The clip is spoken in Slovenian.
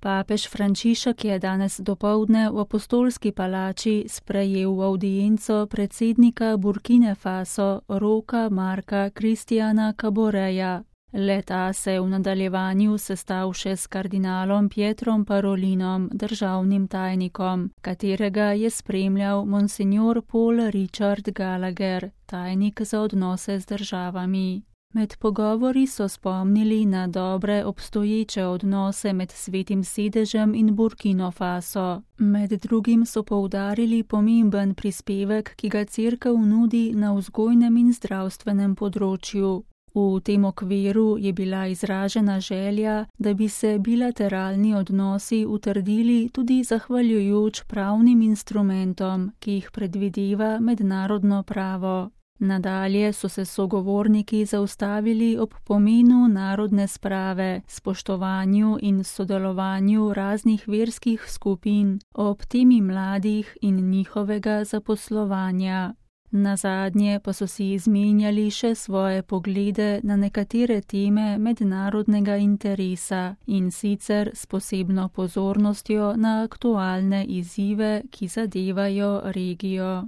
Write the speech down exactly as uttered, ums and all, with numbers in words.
Papež Frančišek je danes dopoldne v Apostolski palači sprejel v avdienco predsednika Burkine Faso Rocha Marca Christiana Kaboreja. Le-ta se je v nadaljevanju sestal še s kardinalom Pietrom Parolinom, državnim tajnikom, katerega je spremljal monsignor Paul Richard Gallagher, tajnik za odnose z državami. Med pogovori so spomnili na dobre obstoječe odnose med Svetim sedežem in Burkino Faso. Med drugim so poudarili pomemben prispevek, ki ga cerkev nudi na vzgojnem in zdravstvenem področju. V tem okviru je bila izražena želja, da bi se bilateralni odnosi utrdili tudi zahvaljujoč pravnim instrumentom, ki jih predvideva mednarodno pravo. Nadalje so se sogovorniki zaustavili ob pomenu narodne sprave, spoštovanju in sodelovanju raznih verskih skupin, ob temi mladih in njihovega zaposlovanja. Nazadnje pa so si izmenjali še svoje poglede na nekatere teme mednarodnega interesa in sicer s posebno pozornostjo na aktualne izzive, ki zadevajo regijo.